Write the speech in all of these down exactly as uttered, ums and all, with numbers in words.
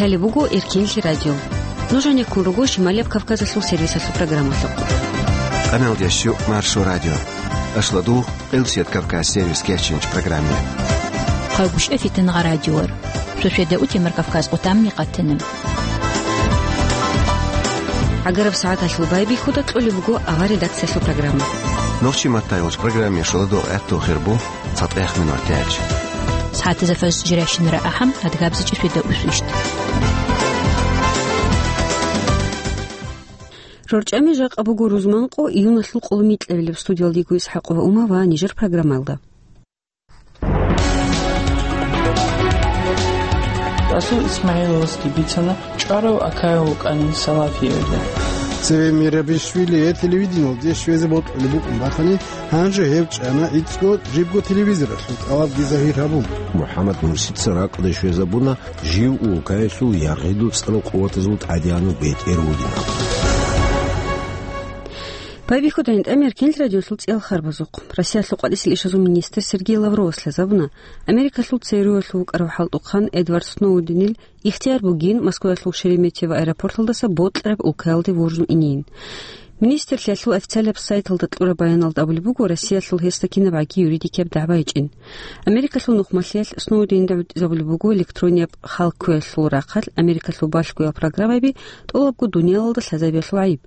Лъалеб буго Эркенлъи радио. Нуж гьанеккун руго Шималияб Кавказалъул сервисалъул программалъухъ. Къаналдеш щук Маршо радио. Ашладу Къилсият Кавказ сервис кечинч программе. Хъагушев Фитнагъа радиор. Шошеда утемар Кавказ къутамми къатана. ГӀагараб сагӀаталъул байбихьуда кьолеб буго авар редакциялъул программа. Нохчи маттайолч программе шоладо гӀатту хирбу цатӀех минур тяч. СагӀатазда фаз жиращинара ахӀам, адгабзичӀи шведа усвищт. РорчӀами жакъа буго рузманкъо июналъул къоло микьабилеб. Студиялдиго ИсхӀакъова Ума ва нижер программалда. Расул ИсмагӀиловасги бицана, чӀварав Акаев вукӀанин Салафиялда. Цеве Мирабишвили гьеб телевидениялде щвезе бокьулеб букӀун бахани, гьанже гьев чӀана гӀицӀго, жибго телевизоралъул тӀалабги загьир гьабун. МухӀаммад Мурсица ракӀалде щвезабуна жив улкаялъул яргъидул цӀарал къуватазул тӀадегӀанав бетӀер вугин абун. Байбихьуда гьанже Эркенлъи радиолъул цӀиялъ харбазухъ. Россиялъул къватӀисел ишазул министр Сергей Лавровас лъазабуна, Америкалъул ЦРУялъул вукӀарав хӀалтӀухъан Эдвард Сноуденил ихтияр бугин Москваялъул Шереметьево аэропорталдаса бокьараб улкаялде вуржун инин. Министрлъиялъул официалаб сайталда кьураб баяналда абулеб буго, Россиялъул гьесда кинабгӀаги юридикияб дагӀба гьечӀин. Америкалъул нухмалъиялъ Сноуденда гӀутӀизабулеб буго электронияб хал кквеялъул рахъалъ Америкалъул балъгоял программаби, тӀолабго дуниялалда лъазабиялъул гӀайиб.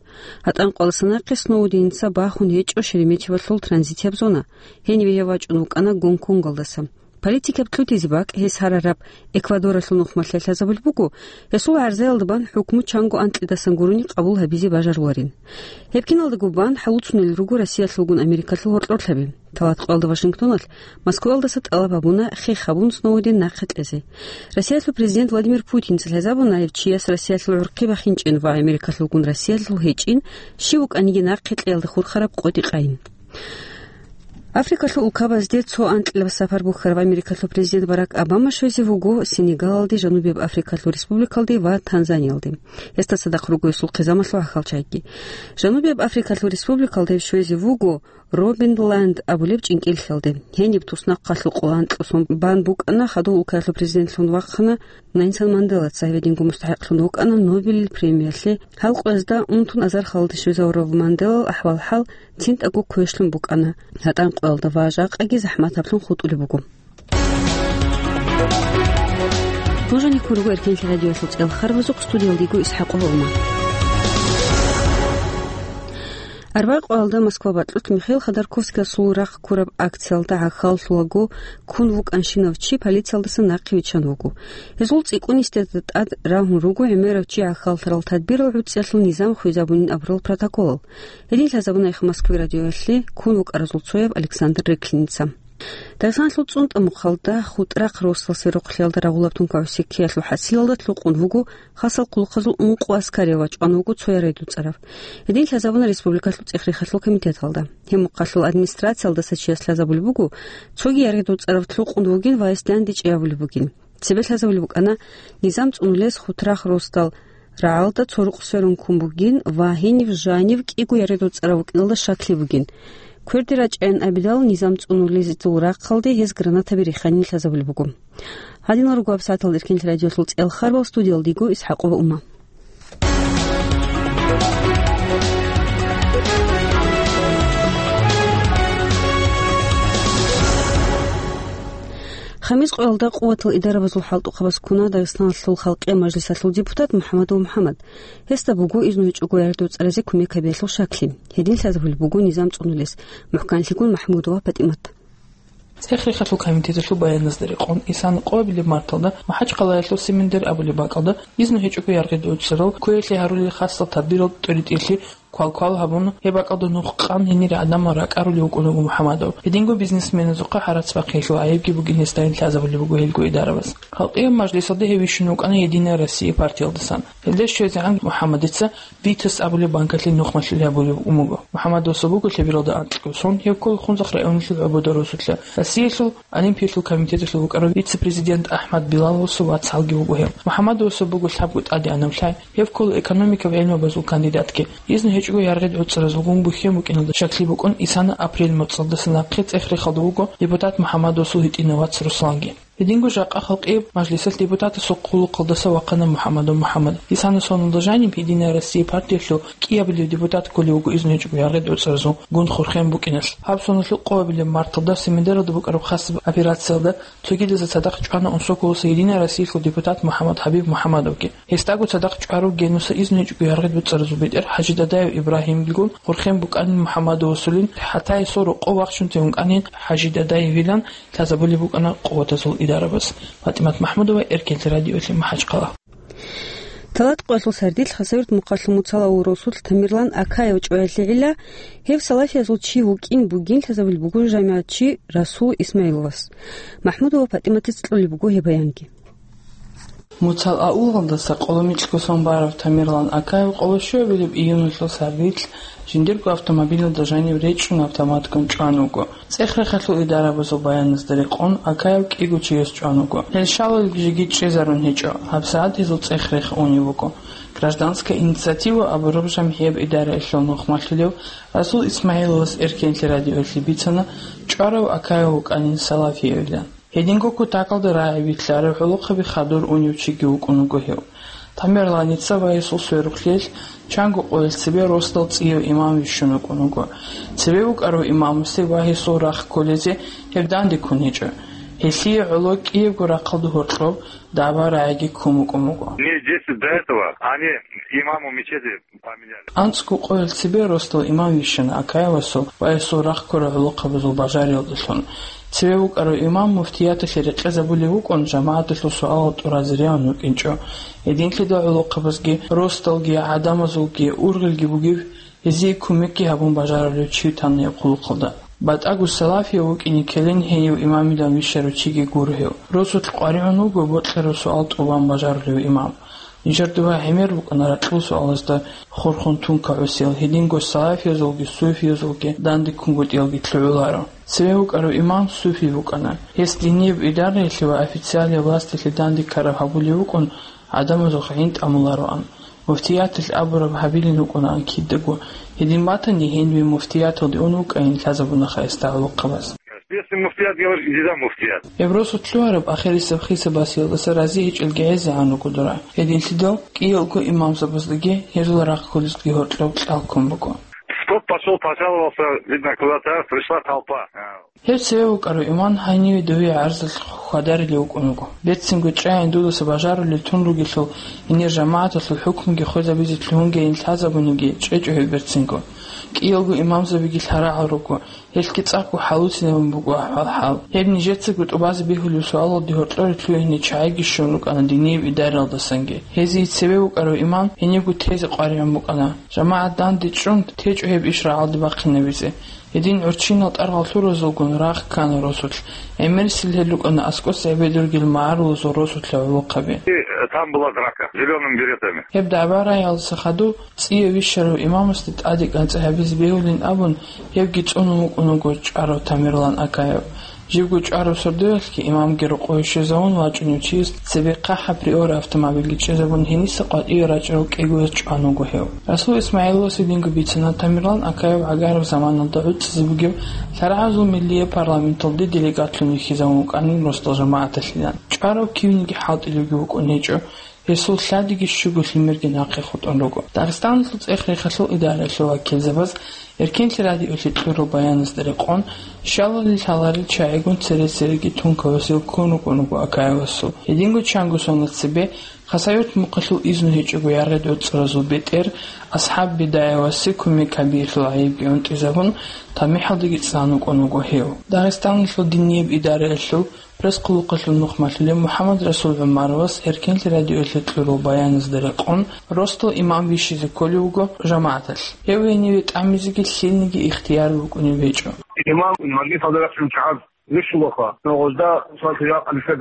ГьатӀан къваласан нахъе Сноуденца бахун гьечӀо Шереметьевалъул транзитияб зона. Гьениве гьев вачӀун вукӀана Гонконгалдаса. Политикаб кьутӀизе бакӀ гьес гьарараб Эквадоралъул нухмалъиялъ лъазабулеб буго, гьесул гӀарзаялда бан хӀукму чанго анкьидасан гурони къабул гьабизе бажаруларин. Гьеб киналдаго бан хӀалуцунел руго Россиялъулгун Америкалъул гьоркьорлъаби. Талат къоялда Вашингтоналъ Москваялдаса тӀалаб гьабуна хех гьабун Сноуден нахъе кьезе. Россиялъул президент Владимир Путинца лъазабуна гьев чияс Россиялъул гӀурхъи бахинчӀин ва Америкалъулгун Россиялъул гьечӀин, щив вукӀаниги нахъе кьеялда хурхараб къотӀи къайин. Африкалъул улкабазде цо анкьилаб сапар бухьарав Америкалъул президент Барак Обама щвезе вуго Сенегалалде, Жанубияб Африкалъул республикалде ва Танзаниялде. Гьесда цадахъ руго гьесул хъизамалъул гӀахьалчагӀиги. Жанубияб Африкалъул республикалде гьев щвезе вуго Робинланд абулеб чӀинкӀиллъиялде. Гьениб туснахъалъул къоло анкьго сон бан букӀана, хадув улкаялъул президентлъун вахъана Нельсон Манделаца, гьединго мустахӀикълъун вукӀана Нобелил премиялъе. Гьал къоязда унтун азар халде щвезавурав Манделал ахӀвал-хӀал цинтӀаго квешлъун букӀана, гьатӀан къоялда ва жакъаги захӀматаблъун хутӀулеб буго. Нуж гьанеккун руго Эркенлъи радиоялъул цӀиялъ харбазухъ, студиялдиго ИсхӀакъова Ума. Арбагъ къоялда Москва бакьулъ Михаил Ходорковскиясул рахъ ккураб акциялда гӀахьаллъулаго ккун вукӀанщинав чи полициялдаса нахъе виччан вуго. Гьезул цӀикӀкӀунисда тӀад рагьун руго гӀемерав чи гӀахьаллъарал тадбирал гӀуцӀиялъул низам хвезабунин абурал протоколал. Гьедин лъазабуна Эхо Москвы радиоялъе ккун вукӀаразул цояв Александр Реклиница. Дагъистаналъул ЦӀунтӀа мухъалда ХутӀрахъ росдал сверухълъиялда рагъулаб тункагӀуси ккеялъул хӀасилалда лъукъун вуго хасал хъулухъазул ункъо аскарияв ва чӀван вуго цо яргъи дуцӀарав. Гьедин лъазабуна республикалъул цӀех-рехалъул комитеталда. Гьеб мухъалъул администрациялдаса чияс лъазабулеб буго, цоги яргъи дуцӀарав лъукъун вугин ва гьесде гьанде чӀей абулеб бугин. Цебе лъазабулеб букӀана низам цӀунулес ХутӀрахъ росдал рагӀалда цо рукъ сверун ккун бугин ва гьенив жанив кӀиго яргъи дуцӀарав вукӀиналда щаклъи бугин. Кверде рачӀайин абидал, низам цӀунулезул рахъалде гьес гранатаби риханин лъазабулеб буго. Гьадинал руго гьабсагӀаталда Эркенлъи радиоялъул цӀиялъ харбал, студиялдиго ИсхӀакъова Ума. Хамис къоялда Къуватал идарабазул хӀалтӀухъабаз ккуна Дагъистаналъул Халкъиял мажлисалъул депутат МухӀамадов МухӀамад. Гьесда буго изну гьечӀого яргъи дуцӀаразе кумек гьабиялъул щаклъи. Гьедин лъазабулеб буго низам цӀунулес, мухӀканлъигун МахӀмудова ПатӀимат. ЦӀех-рехалъул комитеталъул баяназда рекъон, исана къоабилеб марталда МахӀачхъалаялъул Семендер абулеб бакӀалда изну гьечӀого яргъи дуцӀарал кквеялъе гьарулел хасал тадбирал тӀоритӀелъи квалквал гьабун, гьеб бакӀалда нух къан гьенире гӀадамал ракӀарулев вукӀун вуго МухӀамадов. Гьединго бизнесменазухъа гьарац бахъиялъул гӀайибги бугин гьесда, гьелъ лъазабулеб буго гьелго идарабаз. Халкъиял мажлисалда гьев вищун вукӀана «Единая Россия» партиялдасан. Гьелда щвезегӀан МухӀамадица «Витас» абулеб банкалъе нухмалъулеб гьабулеб букӀун буго. МухӀамадовасул буго лъебералда анкьго сон, гьев ккола Хунзахъ районалъул ГӀобода росулъа. Россиялъул Олимпиялъул комитеталъул вукӀарав вице-президент АхӀмад Билаловасул вацгӀалги вуго гьев. МухӀамадовасул буго лъабго тӀадегӀанав лъай, гьев ккола экономикаб гӀелмабазул кандидатги. Изну гьечӀого яргъи дуцӀаразулгун бухьен букӀиналда щаклъи букӀун, исана апрель моцӀалдаса нахъе цӀех-рехалда вуго депутат МухӀамадовасул гьитӀинав вац Русланги. Гьединго жакъа халкъияб мажлисалъ депутатасул хъулухъалдаса вахъана МухӀаммадов МухӀаммад. Гьесана соналда жаниб «Единая Россия» партиялъул кӀиабилев депутат кколев вуго изну гьечӀого яргъи-доцӀразул гун хурхен букӀиналъ. Гьаб соналъул къоабилеб марталда Семидаралда букӀараб хасаб операциялда цогидазе цадахъ чӀвана Унсоколоса «Единая Россиялъул» депутат МухӀаммад ХӀабиб МухӀаммадовги. Гьесдаго цадахъ чӀварав Генуса изну гьечӀого яргъи-доцӀразул бетӀер ХӀажи Дадаев Ибрагьимгигун хурхен букӀанин МухӀаммадовасулин, хӀатта гьесул рокъов вахчун тевун кӀанин ХӀажи Дадаевилан лъазабулеб букӀана къуватазул идарабаз. ПатӀимат МахӀмудова, Эркенлъи радиоялъе, МахӀачхъала. Талат къоялъул сардилъ Хасавюрт мухъалъул муцал авул росулъ Тамерлан Акаев чӀваялъе гӀилла, гьев салафиязул чи вукӀин бугин лъазабулеб буго жамигӀатчи Расул Исмаиловас. МахӀмудова ПатӀиматица кьолеб буго гьеб баянги. Муцал авулалдаса къоло микьго сон барав Тамерлан Акаев къоло щуабилеб июналъул сардилъ жиндирго автомобилалда жанив речӀчӀун автоматгун чӀван вуго. ЦӀех-рехалъул идарабазул баяназда рекъон, Акаев кӀиго чияс чӀван вуго. Гьел щалалги жеги чӀезарун гьечӀо, гьабсагӀат гьезул цӀех-рех унев вуго. «Гражданская инициатива» абураб жамгӀияб идараялъул нухмалъулев Расул Исмаиловас Эркенлъи радиоялъе бицана чӀварав Акаев вукӀанин салафиявилан. Гьединго кутакалда рагӀи вилълъарав гӀолохъаби хадур унев чиги вукӀун вуго гьев. Тамерланица ва гьесул сверухълъиялъ чанго къоялъ цебе росдал цӀияв имам вищун вукӀун вуго. Цебе вукӀарав имамасе ва гьесул рахъ кколезе гьеб данде ккун гьечӀо. Гьелъие гӀоло кӀиябго рахъалда гьоркьоб дагӀба-рагӀиги ккун букӀун буго. Дней десять до этого они имаму мечети поменяли. АнцӀго къоялъ цебе росдал имам вищана Акаевасул ва гьесул рахъ ккурал гӀолохъабазул бажариялдалъун. Цеве вукӀарав имам муфтияталъе рекъезабулев вукӀун, жамагӀаталъул суалал тӀуразе регӀун вукӀинчӀо. Гьединлъидал гӀолохъабазги, росдалги, гӀадамазулги, ургъелги бугев, гьезие кумекги гьабун бажарулев чи витана гьеб хъулухъалда. БатӀаго салафияв вукӀине ккелин гьенив имамилан вищарав чиги гуро гьев. Росулъ къваригӀун вуго бокьарав суал тӀубан бажарулев имам. Нижер дугьа гӀемер букӀана ракьул суалазда хурхун тункагӀусел, гьединго салафиязулги суфиязулги данде ккунгутӀиялги лъугӀуларо. Цеве вукӀарав имам суфи вукӀана. Гьес динияб идараялъе ва официалияб власталъе данде ккараб гьабулев вукӀун, гӀадамазухъ гӀин тӀамулароан. Муфтияталъ абураб гьабилин вукӀунаан кидаго. Гьедин батани, гьенибе муфтияталде ун вукӀайин лъазабуна гьесда гӀолохъабаз. Если муфтият говорит, иди за муфтият. Гьеб росулъ лъугьараб ахирисеб хисабасиялдаса рази гьечӀелги гӀезегӀан руго дора. Гьединлъидал кӀиялго имамзабаздаги гьезул рахъ кколезги гьоркьоб кьал ккун буго. Тот пошёл, пожаловался, видно, куда-то, пришла толпа. Гьев цеве вукӀарав имам гьаниве дове гӀарзалъ хьвадарилев вукӀун вуго. Берцинго чӀайин дудаса бажарулел тун ругелъул, гьенир жамагӀаталъул хӀукмуги хвезабизе лъугьунгейин лъазабуниги чӀечӀо гьев берцинго. КӀиялго имамзабиги лъарагӀал руго. Гьелъги цӀакъго хӀалуцинабун буго ахӀвал-хӀал. Гьеб нижецаго тӀубазе бегьулев суалалде гьоркьоре лъугьине чагӀиги щун рукӀана динияб идараялдасанги. Гьезие цеве вукӀарав имам гьенибго тезе къваригӀун букӀана. ЖамагӀат данде чӀун, течӀо гьеб иш рагӀалде бахъинабизе. Гьедин гӀурччинал тӀаргъал лъуразулгун рагъ ккана росулъ. ГӀемерисел гьел рукӀана аскӀоса гӀебедургел магӀарулазул росулъа гӀолохъаби. И, э, там была драка с зелёными беретами. Гьеб дагӀба-рагӀиялдаса хадув цӀия вищарав имамасде тӀаде кӀанцӀи гьабизе бегьулин абун, гьевги цӀунун вукӀун вуго чӀварав Тамерлан Акаев. Живго чӀварав сордоялъги имамги рокъове щвезавун вачӀунев чияс цебе хъахӀаб Приора автомобильги чӀезабун, гьениса къватӀиве рачӀарав кӀиго яс чӀван вуго гьев. Расул Исмаиловас гьединго бицана Тамерлан Акаев гӀагараб заманалда гӀуцӀизе бугеб лъарагӀазул миллияб парламенталде делегатлъун вихьизавун вукӀанин росдал жамагӀаталъилан. ЧӀварав кивниги хӀалтӀилевги вукӀун гьечӀо. Гьесул лъадиги щуго лъимерги нахъе хутӀун руго. Дагъистаналъул цӀех-рехалъул идараялъул вакилзабаз Эркенлъи радиоялъе кьурал баяназда рекъон, щалалил лъаларел чагӀигун цере-цереги тункавасел ккун рукӀун руго Акаевасул. Гьединго чанго соналъ цебе Хасавюрт мухъалъул изну гьечӀого яргъи-доцӀразул бетӀер АсхӀаб Бидаевасе кумек гьабиялъул гӀайибги гӀунтӀизабун, тамихӀалдаги цӀан вукӀун вуго гьев. Дагъистаналъул динияб идараялъул пресс-хъулухъалъул нухмалъулев МухӀаммадрасул ГӀумаровас Эркенлъи радиоялъе кьурал баяназда рекъон, росдал имам вищизе кколев вуго жамагӀаталъ. Гьев гьениве тӀамизеги лъилниги ихтияр букӀунеб гьечӀо. Имам мажлисалда рахъун чагӀаз вищулаха, ногъозда, мисалги,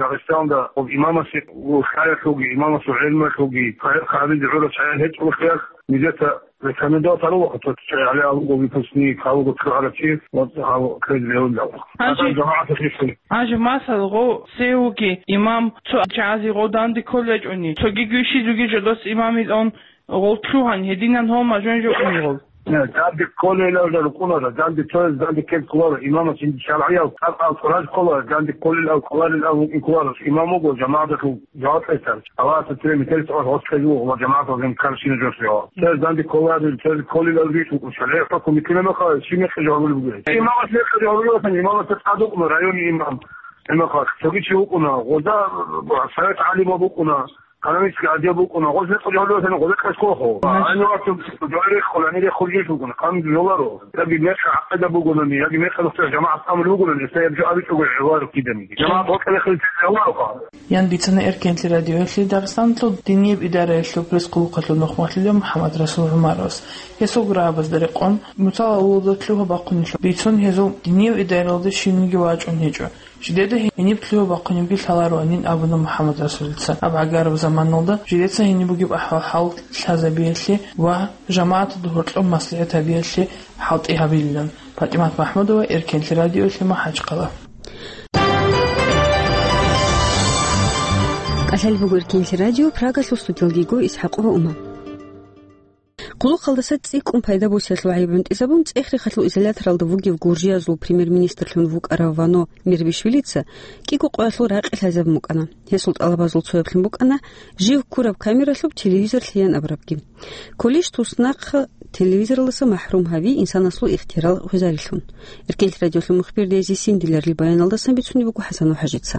Дагъистаналда гъоб имамасе лъаялъулги, имамасул гӀелмуялъулги, гьабизе гӀураб чагӀи гьечӀолъиялъ, нижеца рекомендовать гьарулаха, тот чагӀи гьале алуго выпускник, алуго цо гьарачи, вот гьав квез бегьулаха. Гьанже Адам жамагӀаталъе щун. Гьанже масала, гъов цевуги имам цо чагӀазе гъов данде кколечӀони, цоги гвищизуги жодос имамил он гъов лъугьан, гьединан гьов мажун жо уни гъов. Э, данде кколел авлал рукӀунаро, данде цояз данде ккел кколаро, имамас жинди шаргӀиял тӀакъал цӀураз ккола, данде кколел ав кколарел ав вукӀин кколаро, имам вуго, жамагӀаталъул жаваб гьесар. Аллагьасда цеве метерис гьос гьес кьезе вуго ва жамагӀаталъе каршина жо лъугьа. Цояз данде кколарел, цояз кколел ав рис вукӀун, шаригӀат хӀукму бикьилан мехалъ, щиб мехалъ жаваб бугеб? Имамас мехалъ жаваб бугеб, имамасда тӀад вукӀуна районный имам. Гьебмехалъ цоги чи вукӀуна, гъоза совет гӀалимал букӀуна. Экономический отдел букӀуна, гъоз рекъон жо гьабулеб гъоз рекъон кколаро. Гьанивасул дугӀа рехун, гьанир рехун жо букӀуна, хъанги жоларо. Яги мекъи гӀакъида бугони, яги мекъи нухда жамагӀат амру бугони, гьесда гьеб жо абичӀого гӀоларо киданиги. ЖамагӀат гъоркье рехилел гьаваро. Ян бицана Эркенлъи радиоялъе Дагъистаналъул динияб идараялъул пресс-къулухъалъул нухмалъулев МухӀаммад Расул ГӀумаровас. Гьесул гурабазда рекъон, муцал авлалда лъугьа-бахъунелъул бицун гьезул динияб идараялда щивниги вачӀун гьечӀо. Жидеда гьениб лъугьа-бахъунебги лъалароанин абуна МухӀаммад Расулица. Аб гӀагараб заманалда жидеца гьениб бугеб ахӀвал-хӀал лъазабиялъе ва жамагӀаталда гьоркьоб маслихӀат гьабиялъе хӀалтӀи гьабилилан. ПатӀимат МахӀмудова, Эркенлъи радиоялъе, МахӀачхъала. КӀалъалеб буго Эркенлъи радио, Прагалъул студиялда йиго ИсхӀакъова Ума. Къулухъалдаса цӀикӀкӀун пайда босиялъул гӀайиб гӀунтӀизабун, ЦӀехрихалъул изоляторалда вугев гуржиязул премьер-министрлъун вукӀарав Вано Мерабишвилица кӀиго къоялъул ракъи лъазабун букӀана. Гьесул тӀалабазул цояблъун букӀана жив ккураб камералъуб телевизор лъеян абурабги. Кколищ туснахъ телевизоралдаса махӀрум гьави инсанасул ихтиярал гъвезарилъун? Эркенлъи радиолъул мухбир Дезисин Диларил баяналдасан бицунеб буго ХӀасан ХӀажица.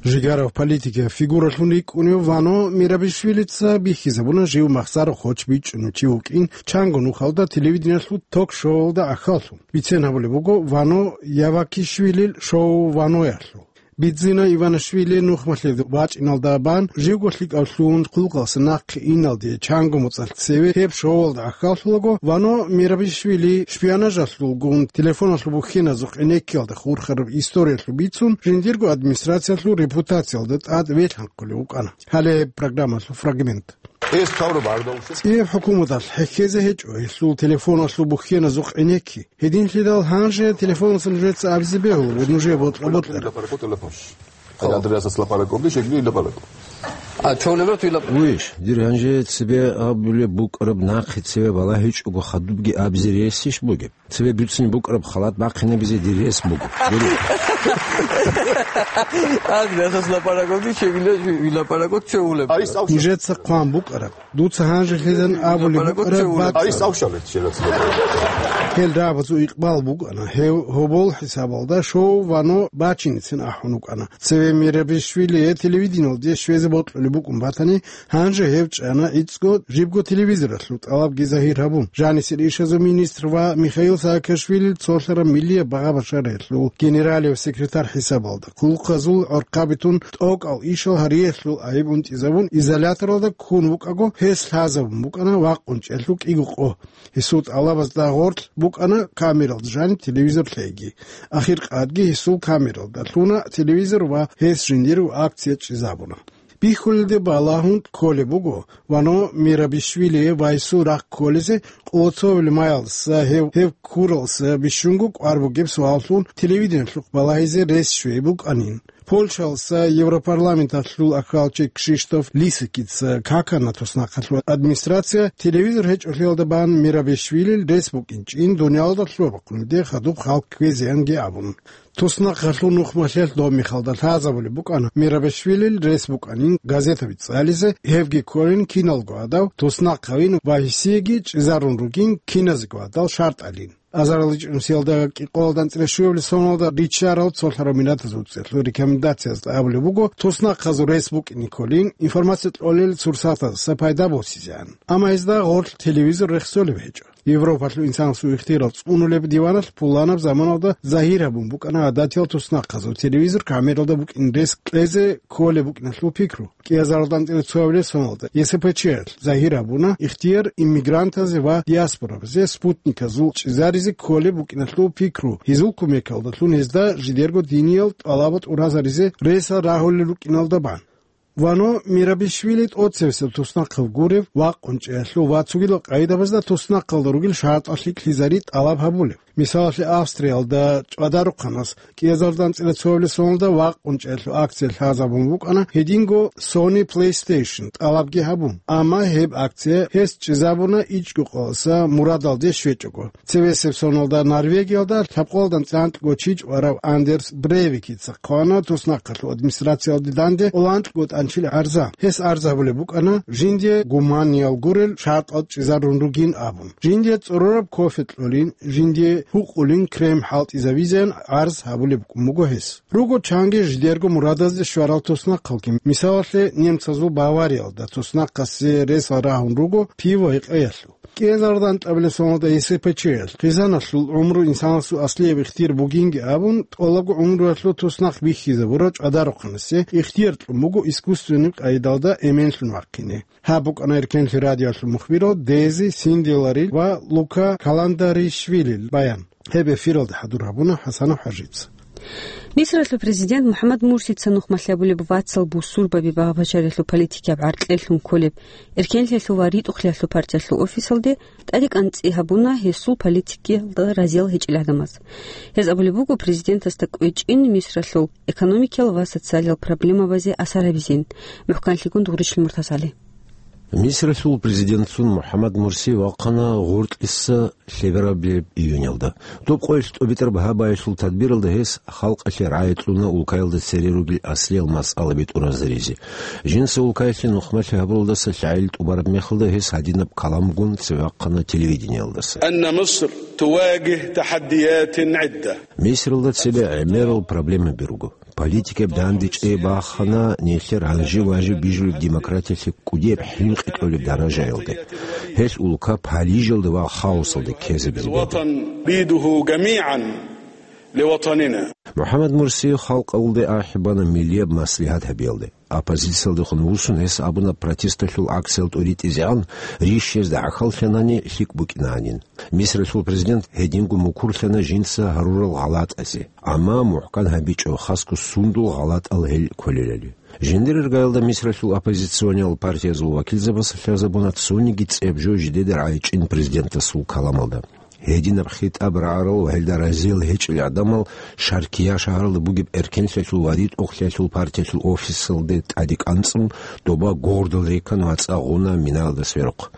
Жигарав политикияв фигуралъун рикӀкӀунев Вано Мерабишвилица бихьизабуна жив махсаро хоч бичӀчӀунев чи вукӀин чанго нухалда телевидениялъул ток-шоуялда гӀахьаллъун. Бицен гьабулеб буго Вано Явакишвилил шоу Ваноялъул. Бидзина Иванишвили нухмалъе вачӀиналда бан живго лъикӀавлъун хъулухъалдаса нахъе иналде чанго моцӀалъ цеве гьеб шоуялда гӀахьаллъулаго, Вано Мерабишвили шпионажалъулгун телефоналъул бухьеназухъ гӀенеккиялда хурхараб историялъул бицун, жиндирго администрациялъул репутациялда тӀад велъанхъулев вукӀана. Гьале гьеб программалъул фрагмент. Эс тавра бардавши. ЦӀияб хӀукуматалъ хӀехьезе гьечӀо гьелъул телефоналъул бухьеназухъ гӀенекки. Гьединлъидал гьанже телефоналъа нужеца абизе бегьула ва нужее бокьа-бокьараб. Андреасас лапаракобги шегли лапаракоб. А чолело туй лап-. Вуйш, дир гьанже цебе абулеб букӀараб нахъе цеве балагьичӀого хадубги абизе ресищ бугеб? Цебе буцин букӀараб халат бахъинабизе дир рес буго. Андреасас лапаракобги шегли лапаракоб чолеб. Нижеца хъван букӀараб. Дуца гьанже лъезан абулеб букӀараб бакӀ. Гьел рагӀабазул икъбал букӀана гьев гьобол хӀисабалда шоу Вано бачиницин ахӀун вукӀана. Цеве Мерабишвили телевидениялде щвезе бокьулеб букӀун батани, гьанже гьев чӀана гӀицӀго жибго телевизоралъул тӀалабги загьир гьабун. Жанисел ишазул министр ва Михаил Саакашвилил цолъараб миллияб багъа-башариялъул генералив секретарь хӀисабалда, хъулухъазул гӀорхъаби тун тӀокӀал ишал гьариялъул гӀайиб унтӀизабун изоляторалда ккун вукӀаго, гьес лъазабун букӀана вакъун чӀелъул кӀиго къо. Гьесул тӀалабазда гъорлъ букӀана камералда жаниб телевизор лъеги. Ахиркъадги гьесул камералда лъуна телевизор ва гьес жиндирго акция чӀезабуна. Бихьулелде балагьун кколеб буго Вано Мерабишвилие ва гьесул рахъ кколезе къоло цо гьулмаялдаса гьев, гьев ккуралдаса бищунго кӀвар бугеб суаллъун телевидениялъухъ балагьизе рес щвей букӀанин. Польшалдаса Европарламенталъул ахӀалчи Кшиштоф Лисекица какана туснахъалъул администрация телевизор гьечӀолъиялда бан Мерабишвилил рес букӀинчӀин дуниялалда лъугьа-бахъунелде хадуб хал кквезеянги абун. Туснахъалъул нухмалъиялъ доб мехалда лъазабулеб букӀана Мерабишвилил рес букӀанин газетаби цӀализе, гьевги кколин киналго гьадав туснахъавин ва гьесиеги чӀезарун ругин киназего гьадал шартӀалин. Азарилан чӀужуялда кӀикъоялда анцӀила щуабилеб соналда риччарал цолъарал миллатазул цӀехлъул рекомендациязда абулеб буго, туснахъазул рес букӀине кколин, информация кьолел сурсатаздаса пайда босизеан. Амма гьезда гъорлъ телевизор рехсолеб гьечӀо. Европалъул инсанасул ихтияр цӀунулеб диваналъ пуланаб заманалда загьир гьабун букӀана гӀадатиял туснахъазул телевизор камералда букӀин рес кьезе кколеб букӀиналъул пикру. КӀиазаралда анцӀила цоабилеб соналда Е С П Ч-ялъ загьир гьабуна ихтияр иммигрантазе ва диаспорабазе спутниказул чӀезаризе кколеб букӀиналъул пикру, гьезул кумекалдалъун гьезда жидерго диниял тӀалаба тӀуразаризе ресал рагьулел рукӀиналда бан. Вано Мерабишвили тӀоцевесеб туснахъав гурев, вакъун чӀеялъул ва цогидал къагӀидабазда туснахъалда ругел шартӀал лъикӀлъизари тӀалаб гьабулев. Мисалалъе, Австриялда ЧӀвадарухъанас кӀиазардан цӀила цоабилеб соналда вакъун чӀеялъул акция лъазабун букӀана, гьединго Sony PlayStation тӀалабги гьабун. Амма гьеб акция гьес чӀезабуна ичӀго къоялъ мурадалде щвечӀого. Цебесеб соналда Норвегиялда лъабкъоялда анцӀила анкьго чи чӀварав Андерс Брейвикица хъвана туснахъалъул администрациялде данде анкьго тӀанчил гӀарза. Гьес гӀарз гьабулеб букӀана, жинде гуманиял гурел шартӀал чӀезарун ругин абун. Жинде цӀорораб кофе кьолин, жинде гьукъулин крем хӀалтӀизавизеян гӀарз гьабулеб букӀун буго гьес. Руго чанги жидерго мурадазде щварал туснахъалги. Мисалалъе, немцазул Бавариялда туснахъасе рес рагьун руго пиво гьекъеялъул. КӀиазардан тӀабилеб соналда Е С П Ч-ялъ хъизаналъул гӀумру инсанасул аслияб ихтияр бугинги абун, тӀолабго гӀумруялъул туснахъ бихьизабурав ЧӀвадарухъанасе ихтияр кьун буго искусственный къайдалда эменлъун вахъине. Гьаб букӀана Эркенлъи радиоялъул мухбирал Дези Синделарил ва Лука Каландаришвилил баян. Гьеб эфиралда хӀадур гьабуна ХӀасанов ХӀажица. Мисралъул президент МухӀаммад Мурсица нухмалъи гьабулеб вацал бусурбаби багъа-бачаралъул политикияб гӀаркьеллъун кколеб Эркенлъиялъул ва РитӀухълъиялъул партиялъул офисалде тӀадекӀанцӀи гьабуна гьесул политикиялда разиял гьечӀел гӀадамаз. Гьез абулеб буго президентасда кӀвечӀин Мисралъул экономикиял ва социалиял проблемабазе асар гьабизин. МухӀканлъигун Дугъричил Муртазали. Мисралъул президентлъун МухӀаммад Мурси вахъана гъоркьиса лъеберабилеб июньалда. Доб къоялъ тӀобитӀараб гьабаялъул тадбиралда гьес халкъалъе рагӀи кьуна улкаялда цере ругел аслиял масъалаби тӀуразаризе. Жинца улкаялъе нухмалъи гьабуралдаса лъагӀел тӀубараб мехалда гьес гьадинаб каламгун цеве вахъана телевидениялдаса. أن مصر تواجه تحديات عدة. Мисралда цебе гӀемерал проблемаби руго. Политикаб данде чӀей бахана нилъер гьанжи-ванжи бижулеб демократиялъе кӀудияб хӀинкъи кьолеб даражаялде. Гьелъ улка палижалде ва хаосалде ккезабизе буго. الوطن نريده جميعا لوطننا. МухӀаммад Мурси халкъалде ахӀи бана миллияб маслигьат гьабиялде. Оппозициялдехун вуссун гьес абуна протесталъул акциял тӀуритӀизегӀан, рищ гьезда гӀахьаллъанани лъикӀ букӀинанин. Мисралъул президент гьединго мукурлъана жинца гьарурал гъалатӀазе, амма мухӀкан гьабичӀо хасго сундул гъалатӀал гьел кколелали. Жиндир иргаялда Мисралъул оппозициониял партиязул вакилзабаз лъазабуна цониги цӀеб жо жидеда рагӀичӀин президентасул каламалда. Гьединаб хитӀаб рагӀарал ва гьелда разиял гьечӀел гӀадамал Шаркия шагьаралда бугеб Эркенлъиялъул ва РитӀухълъиялъул партиялъул офисалде тӀаде кӀанцӀун, доба гогьордал рекан вацӀа гъуна Минаялда сверухъ.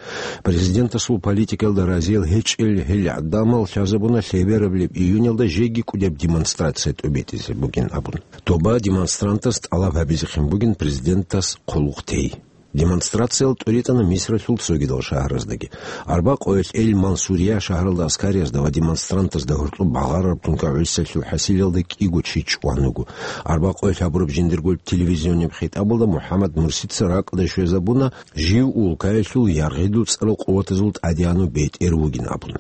Президентасул политикаялда разиял гьечӀел гьел гӀадамал лъазабуна лъеберабилеб июньалда жеги кӀудеб демонстрация тӀобитӀизе бугин абун. Доба демонстрантас тӀалаб гьабизехъин бугин президентас хъулухъ тей. Демонстрациял тӀуритӀана Мисралъул цогидал шагьараздаги. Арбакъоялъ Эль-Мансурия шагьаралда аскариязда ва демонстрантазда гьоркьоб багъарараб тункагӀуссалъул хӀасилалда кӀиго чи чӀван вуго. Арбакъоялъ гьабураб жиндирго телевизионияб хитӀабалда МухӀаммад Мурсица ракӀалде щвезабуна жив улкаялъул яргъи дуцӀарал къуватазул тӀадегӀанав бетӀер вугин абун.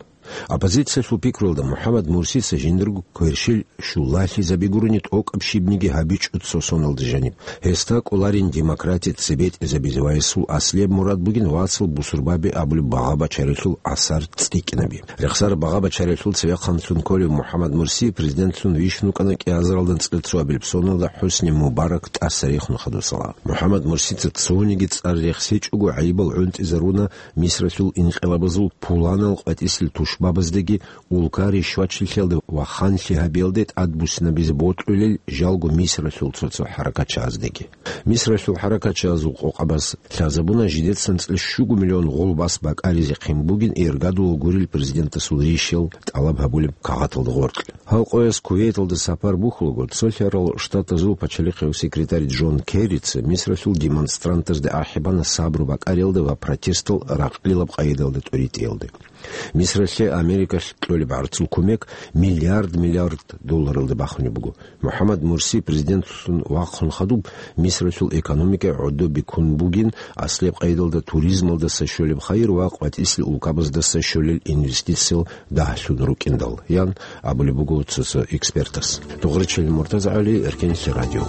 Оппозициялъул пикруялда МухӀаммад Мурсица жиндирго кверщел щулалъизаби гурони тӀокӀаб щибниги гьабичӀо цо соналда жаниб. Гьесда кӀоларин демократия цебетӀезабизе ва гьесул аслияб мурад бугин вацал бусурбаби абулеб багъа-бачаралъул асар цӀикӀкӀинаби. Рехсараб багъа-бачаралъул цевехъанлъун кколев МухӀаммад Мурси президентлъун вищун вукӀана кӀиазаралда анцӀила цоабилеб соналда ХӀусни Мубарак тӀаса рехун хадусала. МухӀаммад Мурсица цониги цӀар рехсечӀого гӀайибал гӀунтӀизаруна Мисралъул инкъилабазул пуланал къватӀисел тушбабаздаги улка ришвачилъиялде ва ханлъи гьабиялде тӀадбуссинабизе бокьулел жалго Мисралъул цо-цо хӀаракатчагӀаздаги. Мисралъул хӀаракатчагӀазул къокъабаз лъазабуна жидеца анцӀила щуго миллион гъулбас бакӀаризехъин бугин иргадула гурел президентасул ришиял тӀалаб гьабулеб кагъаталда гъоркь. Гьал къояз Кувейталда сапар бухьулаго, Цолъарал Штатазул пачалихъев секретарь Джон Керрица Мисралъул демонстрантазда ахӀи бана сабру бакӀариялда ва протестал ракълилаб къайдалда тӀуритӀиялде. Мисралъе Америкалъ кьолеб гӀарцул кумек миллиард-миллиард долларалда бахунеб буго. МухӀаммад Мурси президентлъун вахъун хадуб, Мисралъул экономика гӀодобе ккун бугин, аслияб къайдалда туризмалдаса щолеб хайир ва къватӀисел улкабаздаса щолел инвестициял дагьлъун рукӀиндал, ян абулеб буго цо-цо экспертас. Дугъричил МуртазагӀали, Эркенлъи радио.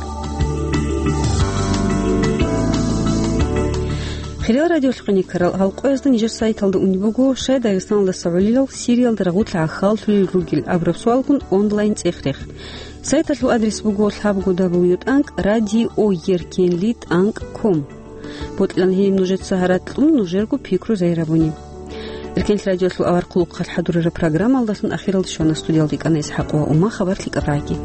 Хириял радиолъухъиникарал, гьал къоязда нижер сайталда унеб буго, щай Дагъистаналдаса гӀолилал Сириялда рагъулъ гӀахьаллъулел ругел абураб суалгун онлайн цӀех-рех. Сайталъул адрес буго лъабго дабл ю тӀанкӀ радио еркенли тӀанкӀ ком. Бокьилан гьениб нужеца гьаракь кьун нужерго пикру загьир гьабуни. Эркенлъи радиолъул авар хъулухъалъ хӀадурараб программалдалъун ахиралде щвана. Студиялда йикӀана ИсхӀакъ ва Ума. Хабар лъикӀаб рагӀи.